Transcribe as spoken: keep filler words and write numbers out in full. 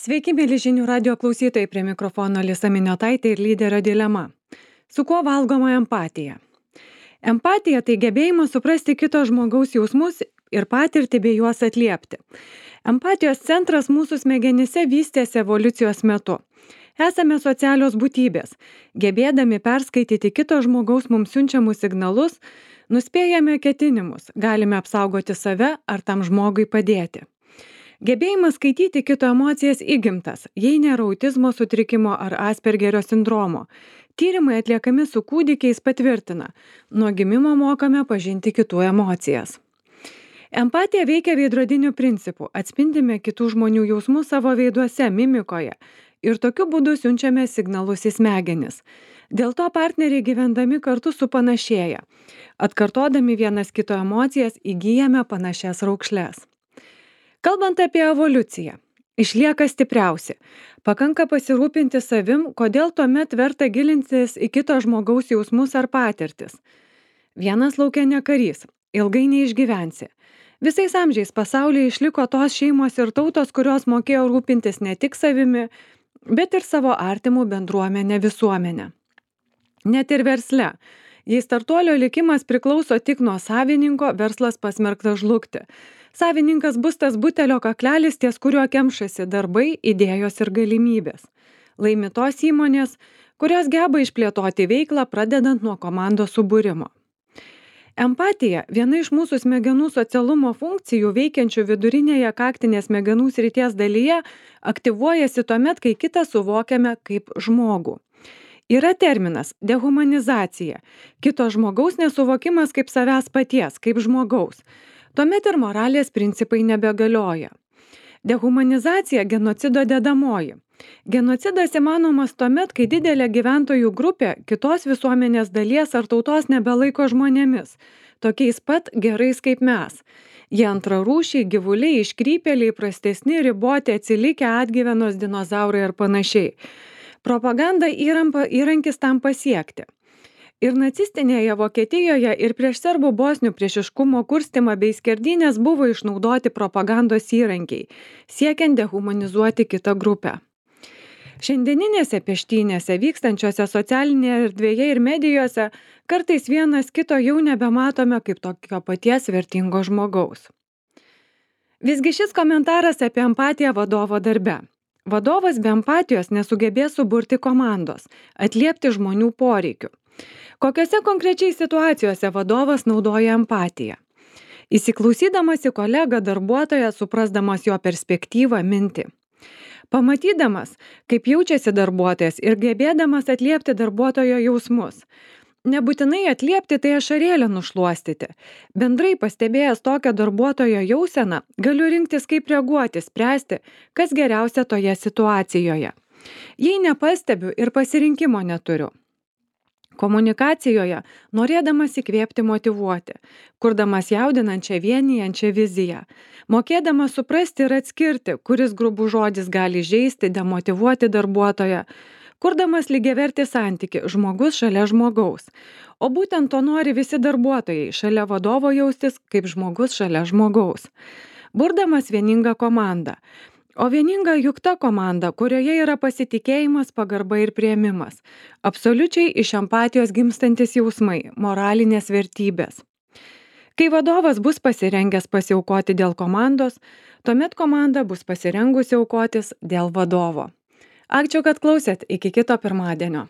Sveiki, mėly žinių radio klausytojai, prie mikrofono Alisa Miniotaitė ir lyderio dilema. Su kuo valgoma empatija? Empatija tai gebėjimas suprasti kito žmogaus jausmus ir patirtį bei juos atliepti. Empatijos centras mūsų smegenyse vystėsi evoliucijos metu. Esame socialios būtybės. Gebėdami perskaityti kito žmogaus mums siunčiamus signalus, nuspėjame ketinimus, galime apsaugoti save ar tam žmogui padėti. Gebėjimas skaityti kito emocijas įgimtas, jei nėra autizmo sutrikimo ar Aspergerio sindromo. Tyrimai atliekami su kūdikiais patvirtina, nuo gimimo mokame pažinti kitų emocijas. Empatija veikia veidrodiniu principu, atspindime kitų žmonių jausmus savo veiduose, mimikoje ir tokiu būdu siunčiame signalus į smegenis. Dėl to partneriai gyvendami kartu supanašėja. Atkartodami vienas kito emocijas įgyjame panašias raukšles. Kalbant apie evoliuciją, išlieka stipriausi. Pakanka pasirūpinti savim, kodėl tuomet verta gilintis į kito žmogaus jausmus ar patirtis. Vienas lauke ne karys, ilgai neišgyvensi. Visais amžiais pasaulyje išliko tos šeimos ir tautos, kurios mokėjo rūpintis ne tik savimi, bet ir savo artimų bendruomenę visuomenę. Net ir versle. Jei startuolio likimas priklauso tik nuo savininko, verslas pasmerktas žlugti. Savininkas bus tas butelio kaklelis, ties kuriuo kemšasi darbai, idėjos ir galimybės. Laimi tos įmonės, kurios geba išplėtoti veiklą, pradedant nuo komandos subūrimo. Empatija, viena iš mūsų smegenų socialumo funkcijų veikiančių vidurinėje kaktinės smegenų srities dalyje, aktyvuojasi tuomet, kai kitą suvokiame kaip žmogų. Yra terminas dehumanizacija, kito žmogaus nesuvokimas kaip savęs paties, kaip žmogaus. Tuomet ir moralės principai nebegalioja. Dehumanizacija genocido dedamoji. Genocidas įmanomas tuomet, kai didelė gyventojų grupė kitos visuomenės dalies ar tautos nebelaiko žmonėmis, tokiais pat gerais kaip mes. Jie antrarūšiai, gyvuliai, iškrypėliai, prastesni, riboti, atsilikę, atgyvenos dinozaurai ir panašiai. Propaganda įrampa, įrankis tam pasiekti. Ir nacistinėje Vokietijoje ir prieš serbų bosnių priešiškumo kurstymą bei skerdynės buvo išnaudoti propagandos įrankiai, siekiant dehumanizuoti kitą grupę. Šiandieninėse peštynėse vykstančiose socialinėje erdvėje ir medijose kartais vienas kito jau nebematome kaip tokio paties vertingo žmogaus. Visgi šis komentaras apie empatiją vadovo darbe. Vadovas be empatijos nesugebės suburti komandos, atliepti žmonių poreikių. Kokiose konkrečiai situacijose vadovas naudoja empatiją? Įsiklausydamas į kolegą darbuotoją, suprasdamas jo perspektyvą, mintį. Pamatydamas, kaip jaučiasi darbuotojas ir gebėdamas atliepti darbuotojo jausmus. Nebūtinai atliepti, tai ašarėlę nušluostyti. Bendrai pastebėjęs tokią darbuotojo jauseną, galiu rinktis kaip reaguoti, spręsti, kas geriausia toje situacijoje. Jei nepastebiu ir pasirinkimo neturiu. Komunikacijoje, norėdamas įkvėpti motyvuoti, kurdamas jaudinančią vienijančią viziją, mokėdamas suprasti ir atskirti, kuris grubus žodis gali žeisti, demotyvuoti darbuotoją, kurdamas lygiavertį santykį žmogus šalia žmogaus. O būtent to nori visi darbuotojai, šalia vadovo jaustis kaip žmogus šalia žmogaus. Burdamas vieningą komandą. O vieninga juk ta komanda, kurioje yra pasitikėjimas, pagarba ir priėmimas. Absoliučiai iš empatijos gimstantis jausmai, moralinės vertybės. Kai vadovas bus pasirengęs pasiaukoti dėl komandos, tuomet komanda bus pasirengusi aukotis dėl vadovo. Ačiū, kad klausėt. Iki kito pirmadienio.